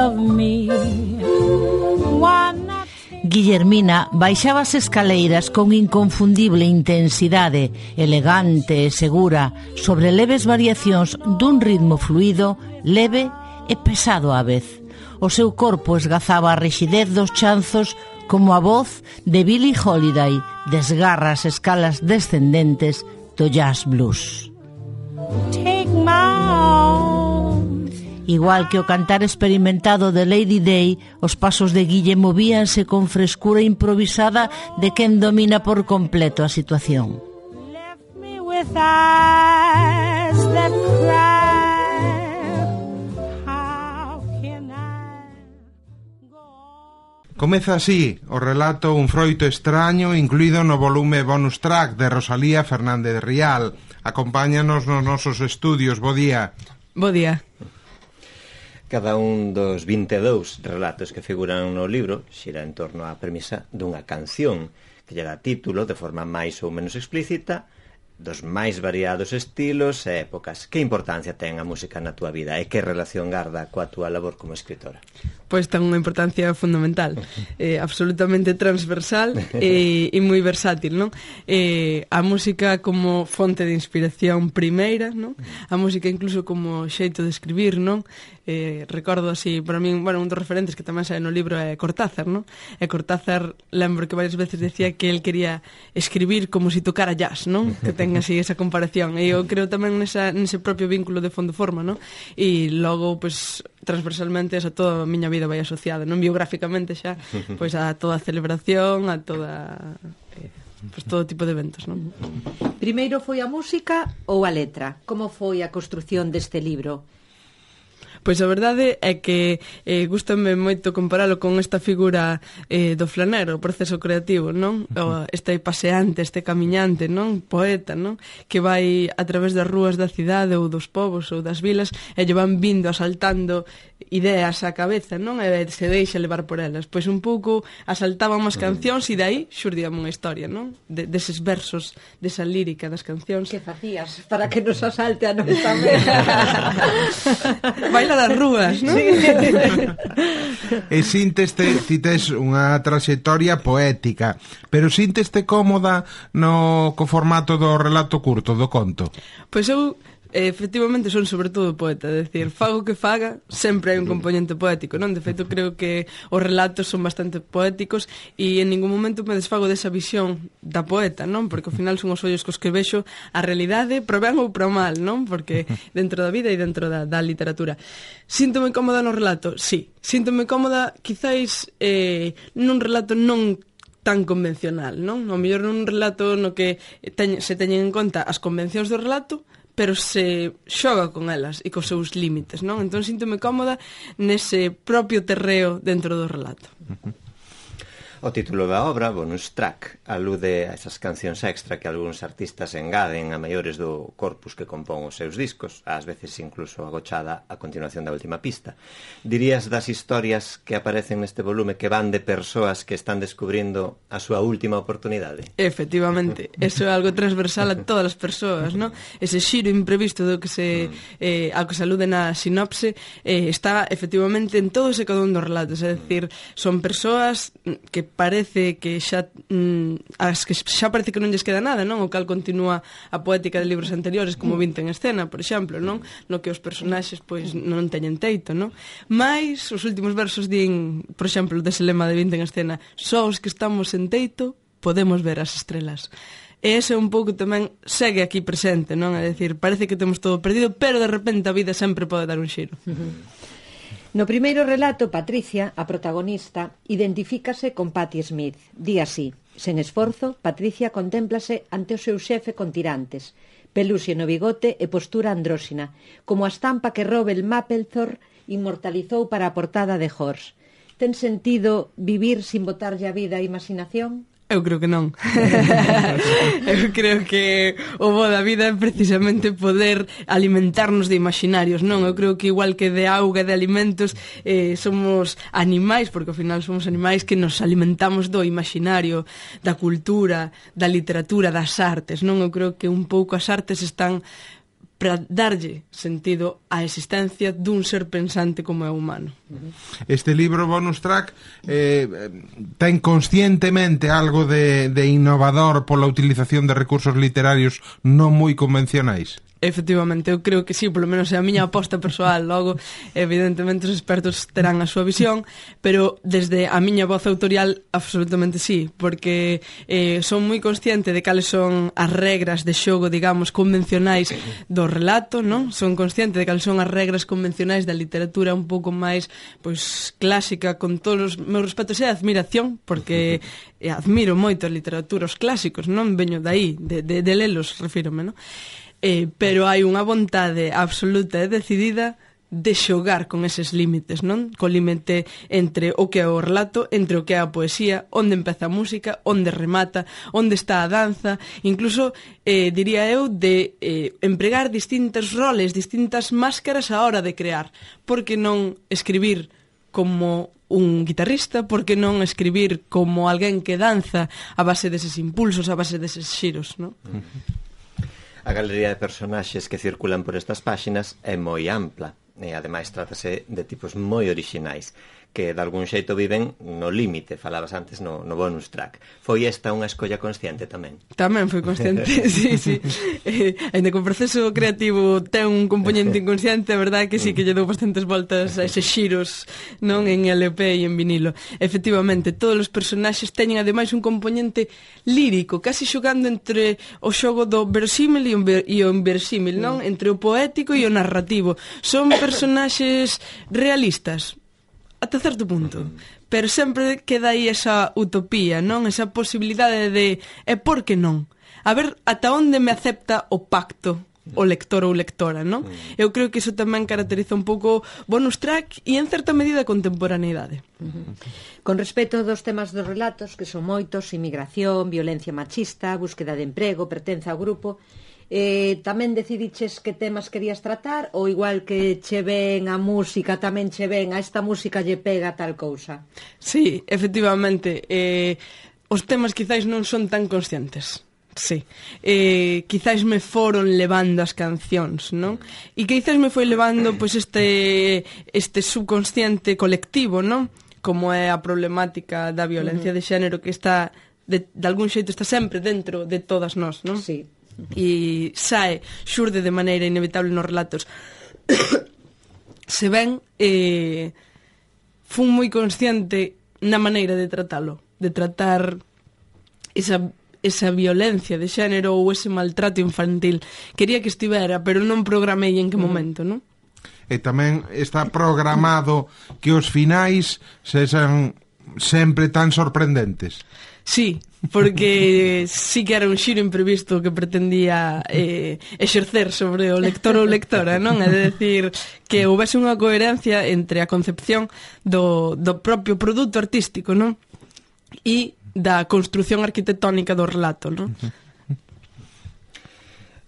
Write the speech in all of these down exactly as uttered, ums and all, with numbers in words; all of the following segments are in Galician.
love me. Guillermina baixaba as escaleiras con inconfundible intensidade, elegante e segura, sobre leves variacións dun ritmo fluido, leve e pesado á vez. O seu corpo esgazaba a rixidez dos chanzos como a voz de Billie Holiday desgarra as escalas descendentes do jazz blues. Take my arm. Igual que o cantar experimentado de Lady Day, os pasos de Guille movíanse con frescura improvisada de quen domina por completo a situación. Left me with eyes that cry. How can I go on? Comeza así o relato Un froito extraño, incluído no volume bonus track de Rosalía Fernández Rial. Acompáñanos nos nosos estudios. Bo día. Bo día. Cada un dos vinte e dous relatos que figuran no libro xira en torno á premisa dunha canción que lle dá título de forma máis ou menos explícita dos máis variados estilos e épocas. Que importancia ten a música na túa vida e que relación garda coa túa labor como escritora? Pois ten unha importancia fundamental, eh, absolutamente transversal e, e moi versátil, non? Eh, a música como fonte de inspiración primeira, non? A música incluso como xeito de escribir, non? Eh, recordo así, para min, bueno, un dos referentes que tamén sae no libro é Cortázar, non? E Cortázar, lembro que varias veces decía que el quería escribir como si tocara jazz, non? Que ten así esa comparación, e eu creo tamén nesa, nese propio vínculo de fondo-forma, non? E logo, pois, transversalmente esa toda a miña vida vai asociada, non biográficamente xa, pois a toda a celebración, a toda eh, pois todo tipo de eventos, non? Primeiro foi a música ou a letra? Como foi a construción deste libro? Pois a verdade é que eh, gústame moito comparalo con esta figura eh, do flanero, o proceso creativo, non? O, este paseante, este camiñante, non? Poeta, non? Que vai a través das rúas da cidade ou dos povos ou das vilas e lle van vindo asaltando ideas á cabeza, non? E se deixa levar por elas. Pois un pouco asaltaban unhas cancións e dai xurdíame unha historia, non? De, deses versos, desa lírica das cancións. Que facías para que nos asalte a nos tamén? Baila das rúas, non? Sí. E sinteste, ti tes unha traxectoria poética, pero sinteste cómoda no co formato do relato curto, do conto? Pois eu efectivamente son sobre todo poeta, é dicir, fago que faga, sempre hai un componente poético, non? De feito, creo que os relatos son bastante poéticos e en ningún momento me desfago desa visión da poeta, non? Porque ao final son os ollos cos que vexo a realidade pro ben ou pro mal, non? Porque dentro da vida e dentro da, da literatura. Síntome cómoda no relato? Sí. Síntome cómoda, quizáis, eh, nun relato non tan convencional, non? O mellor nun relato no que teñ, se teñen en conta as convencións do relato, pero se xoga con elas e cos seus límites, non? Entón síntome cómoda nese propio terreo dentro do relato. Uh-huh. O título da obra, Bonus Track, alude a esas cancións extra que algúns artistas engaden a maiores do corpus que compón os seus discos, ás veces incluso agochada a continuación da última pista. Dirías das historias que aparecen neste volume que van de persoas que están descubrindo a súa última oportunidade? Efectivamente, eso é algo transversal a todas as persoas, non? Ese xiro imprevisto do que se eh, ao que se alude na sinopse eh, está efectivamente en todos e cada un dos relatos, é dicir, son persoas que parece que xa mm, as que xa parece que non lles queda nada, non? O cal continúa a poética de libros anteriores como Vinte en escena, por exemplo, non? No que os personaxes pois non teñen teito, non? Mais os últimos versos din, por exemplo, dese lema de Vinte en escena, só os que estamos en teito podemos ver as estrelas. E ese un pouco tamén segue aquí presente, non? É dicir, parece que temos todo perdido, pero de repente a vida sempre pode dar un xiro. No primeiro relato, Patricia, a protagonista, identifícase con Patti Smith. Di así: sen esforzo, Patricia contémplase ante o seu xefe con tirantes, peluxe no bigote e postura andróxina, como a estampa que Robert Mapplethorpe inmortalizou para a portada de Horse. Ten sentido vivir sin botarlle a vida a imaginación? Eu creo que non. Eu creo que o bo da vida é precisamente poder alimentarnos de imaginarios, non? Eu creo que igual que de auga e de alimentos eh, somos animais, porque ao final somos animais que nos alimentamos do imaginario, da cultura, da literatura, das artes, non? Eu creo que un pouco as artes están para darlle sentido á existencia dun ser pensante como é o humano. Este libro bonus track eh, ten conscientemente algo de, de innovador pola utilización de recursos literarios non moi convencionais? Efectivamente, eu creo que sí, polo menos é a miña aposta persoal. Logo, evidentemente, os expertos terán a súa visión, pero desde a miña voz autorial, absolutamente sí, porque eh, son moi consciente de cales son as regras de xogo, digamos, convencionais do relato, non? Son consciente de cales son as regras convencionais da literatura un pouco máis, pois, clásica, con todos os meus respetos e admiración, porque eh, admiro moito a literatura, os clásicos, non? Veño daí, de, de, de lelos, refírome, non? Eh, pero hai unha vontade absoluta e decidida de xogar con eses límites, non? Co límite entre o que é o relato, entre o que é a poesía, onde empeza a música, onde remata, onde está a danza, incluso, eh, diría eu, de eh, empregar distintos roles, distintas máscaras á hora de crear. Por que non escribir como un guitarrista, por que non escribir como alguén que danza a base deses impulsos, a base deses xiros, non? A galería de personaxes que circulan por estas páxinas é moi ampla e ademais trátase de tipos moi orixinais que de algún xeito viven no límite, falabas antes no, no bonus track. Foi esta unha escolla consciente tamén? Tamén foi consciente, sí, sí. Eh, ainda que o proceso creativo ten un componente inconsciente, a verdade que sí, que lle dou bastantes voltas a eses xiros, non, en L P e en vinilo. Efectivamente, todos os personaxes teñen ademais un componente lírico, casi xogando entre o xogo do verosímil e o inversímil, non? Entre o poético e o narrativo. Son personaxes realistas, ata certo punto, pero sempre queda aí esa utopía, non? Esa posibilidade de, e por que non? A ver ata onde me acepta o pacto o lector ou lectora, non? Eu creo que iso tamén caracteriza un pouco bonus track e en certa medida a contemporaneidade. Con respecto dos temas dos relatos, que son moitos, inmigración, violencia machista, búsqueda de emprego, pertenza ao grupo, Eh, tamén decidiches que temas querías tratar ou igual que che ven a música tamén che ven a esta música lle pega tal cousa? Sí, efectivamente, eh, os temas quizáis non son tan conscientes. Sí, eh, quizáis me foron levando as cancións, non? E quizáis me foi levando pois este este subconsciente colectivo, non? Como é a problemática da violencia de xénero que está de, de algún xeito está sempre dentro de todas nós, non? Sí. E sae, xurde de maneira inevitable nos relatos. Se ven, eh, fun moi consciente na maneira de tratalo, de tratar esa, esa violencia de xénero ou ese maltrato infantil. Quería que estivera, pero non programei en que momento, non? E tamén está programado que os finais sexan sempre tan sorprendentes. Sí, porque sí que era un xiro imprevisto que pretendía eh, exercer sobre o lector ou lectora, non? É decir, que houvese unha coherencia entre a concepción do, do propio produto artístico, non? E da construción arquitectónica do relato, non?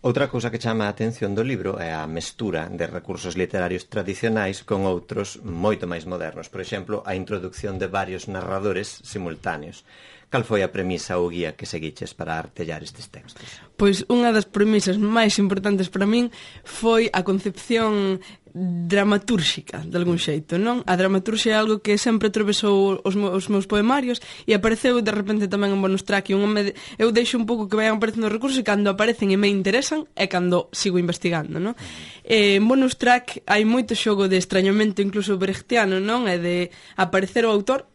Outra cousa que chama a atención do libro é a mestura de recursos literarios tradicionais con outros moito máis modernos. Por exemplo, a introducción de varios narradores simultáneos. Cal foi a premisa ou guía que seguiches para artellar estes textos? Pois unha das premisas máis importantes para min foi a concepción dramatúrxica, de algún xeito, non? A dramaturxia é algo que sempre atravesou os, os meus poemarios e apareceu de repente tamén en bonus track. Un me... Eu deixo un pouco que vayan aparecendo os recursos e cando aparecen e me interesan é cando sigo investigando, non? Eh, en bonus track hai moito xogo de extrañamento incluso brechtiano, non? É de aparecer o autor,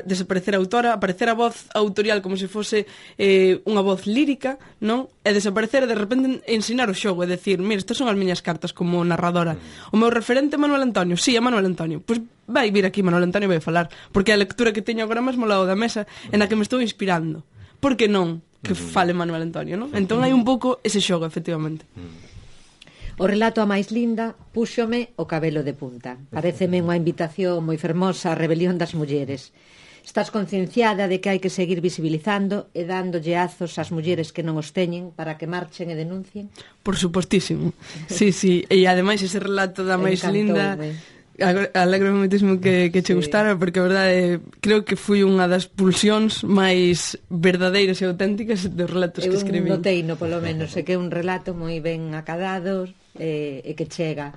desaparecer a autora, aparecer a voz autorial como se fose eh, unha voz lírica, non? E desaparecer e de repente ensinar o xogo, é decir, mira, estas son as miñas cartas como narradora. O meu referente é Manuel Antonio, sí, é Manuel Antonio. Pois vai vir aquí Manuel Antonio e vai falar, porque é a lectura que teño agora mesmo ao lado da mesa en a que me estou inspirando. Por que non que fale Manuel Antonio, non? Entón hai un pouco ese xogo, efectivamente. O relato a máis linda púxome o cabelo de punta. Paréceme unha invitación moi fermosa á rebelión das mulleres. Estás concienciada de que hai que seguir visibilizando e dándolle azos ás mulleres que non os teñen para que marchen e denuncien? Por supostísimo. Sí, sí. E ademais ese relato da máis linda... Alegro moitísimo que, que che sí. Gustara, porque a verdade creo que foi unha das pulsións máis verdadeiras e auténticas dos relatos eu que escribí. Eu noteino, polo menos, é que é un relato moi ben acadado e, e que chega.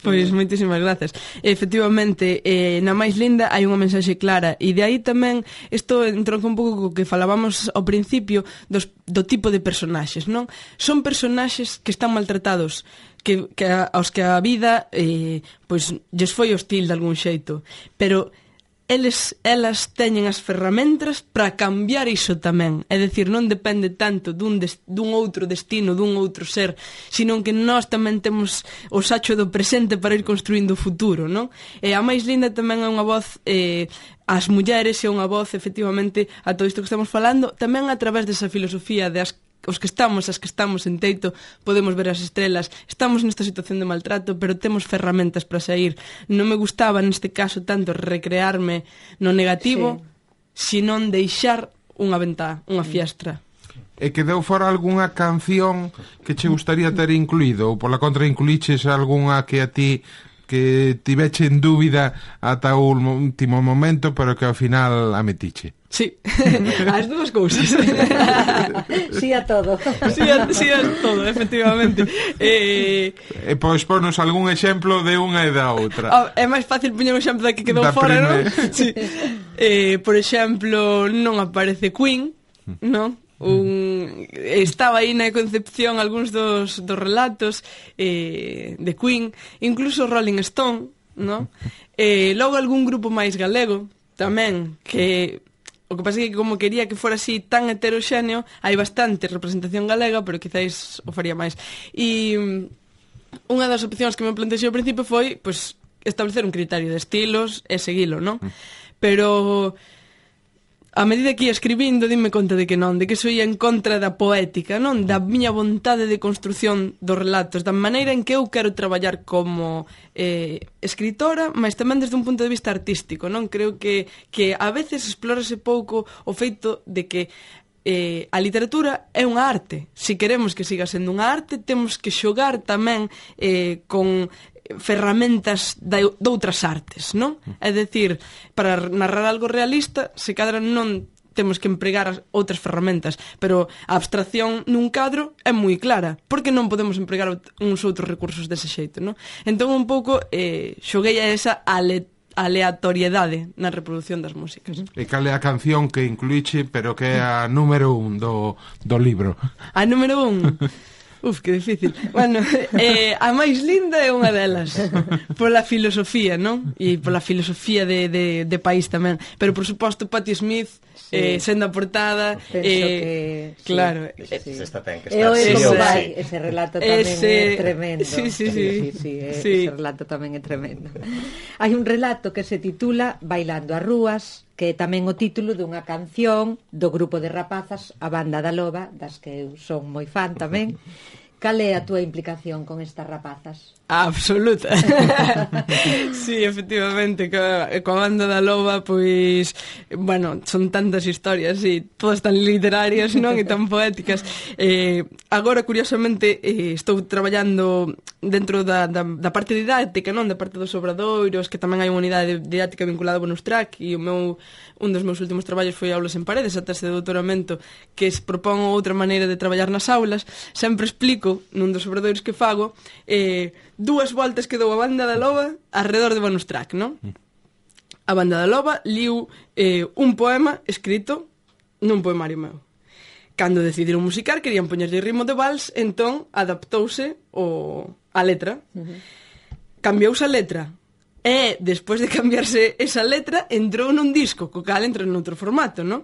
Pois, moitísimas grazas. Efectivamente, eh, na máis linda hai unha mensaxe clara, e de aí tamén isto entronca un pouco co que falábamos ao principio dos, do tipo de personaxes, non? Son personaxes que están maltratados, que, que a, aos que a vida eh, pois lles foi hostil de algún xeito, pero eles, elas teñen as ferramentas para cambiar iso tamén. É dicir, non depende tanto dun, des, dun outro destino, dun outro ser, sino que nós tamén temos o sacho do presente para ir construindo o futuro, non? E a máis linda tamén é unha voz eh, ás mulleres, é unha voz, efectivamente, a todo isto que estamos falando, tamén a través desa filosofía de as os que estamos, as que estamos en teito, podemos ver as estrelas, estamos nesta situación de maltrato, pero temos ferramentas para sair. Non me gustaba neste caso tanto recrearme no negativo, sí, senón deixar unha ventá, unha fiestra. E quedou fora algunha canción que che gustaría ter incluído, ou pola contra incluíches algunha que a ti que tiveche en dúbida ata o último momento, pero que ao final a metiche? Sí, as dúas cousas. Sí a todo. Sí a, sí a todo, efectivamente. Eh, e pois ponos algún exemplo de unha e da outra. Oh, é máis fácil poñer un exemplo da que quedou da fora, non? Sí. Eh, por exemplo, non aparece Queen, non? Un, estaba aí na concepción algúns dos, dos relatos eh, de Queen, incluso Rolling Stone, non? Eh, logo algún grupo máis galego tamén, que o que pasa é que como quería que fora así tan heteroxéneo, hai bastante representación galega, pero quizáis o faría máis. E unha das opcións que me plantexei ao principio foi pois, establecer un criterio de estilos e seguilo, non? Pero a medida que ia escribindo, dime conta de que non, de que soy en contra da poética, non? Da miña vontade de construción dos relatos, da maneira en que eu quero traballar como eh, escritora, mas tamén desde un punto de vista artístico, non? Creo que, que a veces explórase pouco o feito de que eh, a literatura é unha arte. Se queremos que siga sendo unha arte, temos que xogar tamén eh, con ferramentas de outras artes, non? É dicir, para narrar algo realista, se cadra non temos que empregar outras ferramentas, pero a abstracción nun cadro é moi clara, porque non podemos empregar uns outros recursos dese xeito, non? Entón, un pouco, eh, xoguei a esa ale aleatoriedade na reproducción das músicas. E cal é a canción que incluíche, pero que é a número un do, do libro? A número un... Uf, que difícil. Bueno, eh, a máis linda é unha delas, pola filosofía, non? E pola filosofía de, de, de país tamén. Pero, por suposto, Patti Smith, sí, eh, sendo a portada... Penso eh, que... Claro. Sí, sí. Esta ten que estar sí ou sí. Sí. Ese relato tamén ese... é tremendo. Sí, sí, sí. sí, sí, sí, eh, sí. Ese relato tamén é tremendo. Hai un relato que se titula Bailando as rúas, que é tamén o título dunha canción do grupo de rapazas A Banda da Loba, das que eu son moi fan tamén. Cal é a túa implicación con estas rapazas? Absoluta. Sí, efectivamente, coa, coa Banda da Loba, pois, bueno, son tantas historias e todas tan literarias, non? E tan poéticas. Eh, agora, curiosamente, eh, estou traballando dentro da, da, da parte didáctica, non? Da parte dos obradoiros, que tamén hai unha unidade didáctica vinculada ao bonus track, e o meu, un dos meus últimos traballos foi Aulas en Paredes, a tese de doutoramento, que se propón outra maneira de traballar nas aulas. Sempre explico, nun dos obradoiros que fago, eh, dúas voltas que dou a Banda da Loba alrededor de bonus track, non? A Banda da Loba liu eh, un poema escrito nun poemario meu. Cando decidiron musicar, querían poñerlle ritmo de vals, entón adaptouse o, a letra. Uh-huh. Cambiouse a letra. E, despois de cambiarse esa letra, entrou nun disco, co cal entra noutro formato, non?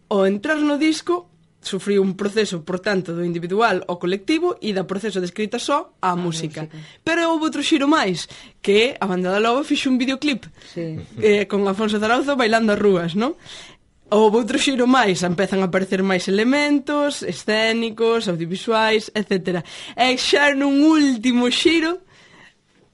O entrar no disco, sufriu un proceso, por tanto, do individual ao colectivo e da proceso de escrita só á música. música. Pero houve outro xiro máis, que a Banda da Loba fixo un videoclip sí. eh, con Afonso Zarauza bailando as rúas, non? Houve outro xiro máis, empezan a aparecer máis elementos escénicos, audiovisuais, etcétera. E xa nun último xiro,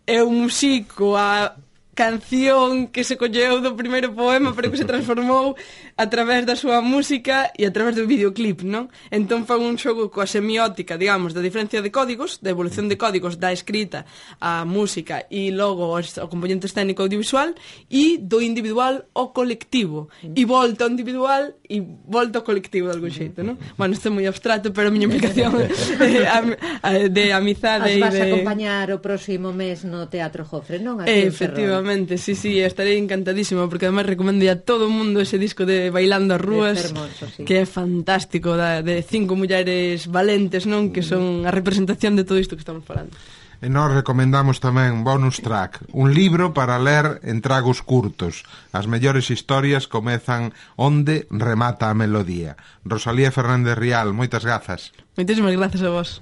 eu musico a canción que se colleu do primeiro poema pero que se transformou a través da súa música e a través do videoclip, non? Entón foi un xogo coa semiótica, digamos, da diferencia de códigos, da evolución de códigos da escrita á música e logo ao componente escénico audiovisual e do individual ao colectivo e volta ao individual e volta ao colectivo de algún xeito, non? Bueno, isto é moi abstrato, pero a miña implicación de amizade e de... As vas a acompañar o próximo mes no Teatro Jofre, non? Eh, efectivamente, sí, sí, estarei encantadísima porque además recomendo a todo o mundo ese disco de Bailando as Rúas, hermoso, sí. Que é fantástico, da, de cinco mulleres valentes, non? Que son a representación de todo isto que estamos falando. E nós recomendamos tamén Bonus Track, un libro para ler en tragos curtos. As mellores historias comezan onde remata a melodía. Rosalía Fernández Rial, moitas grazas. Moitísimas grazas a vos.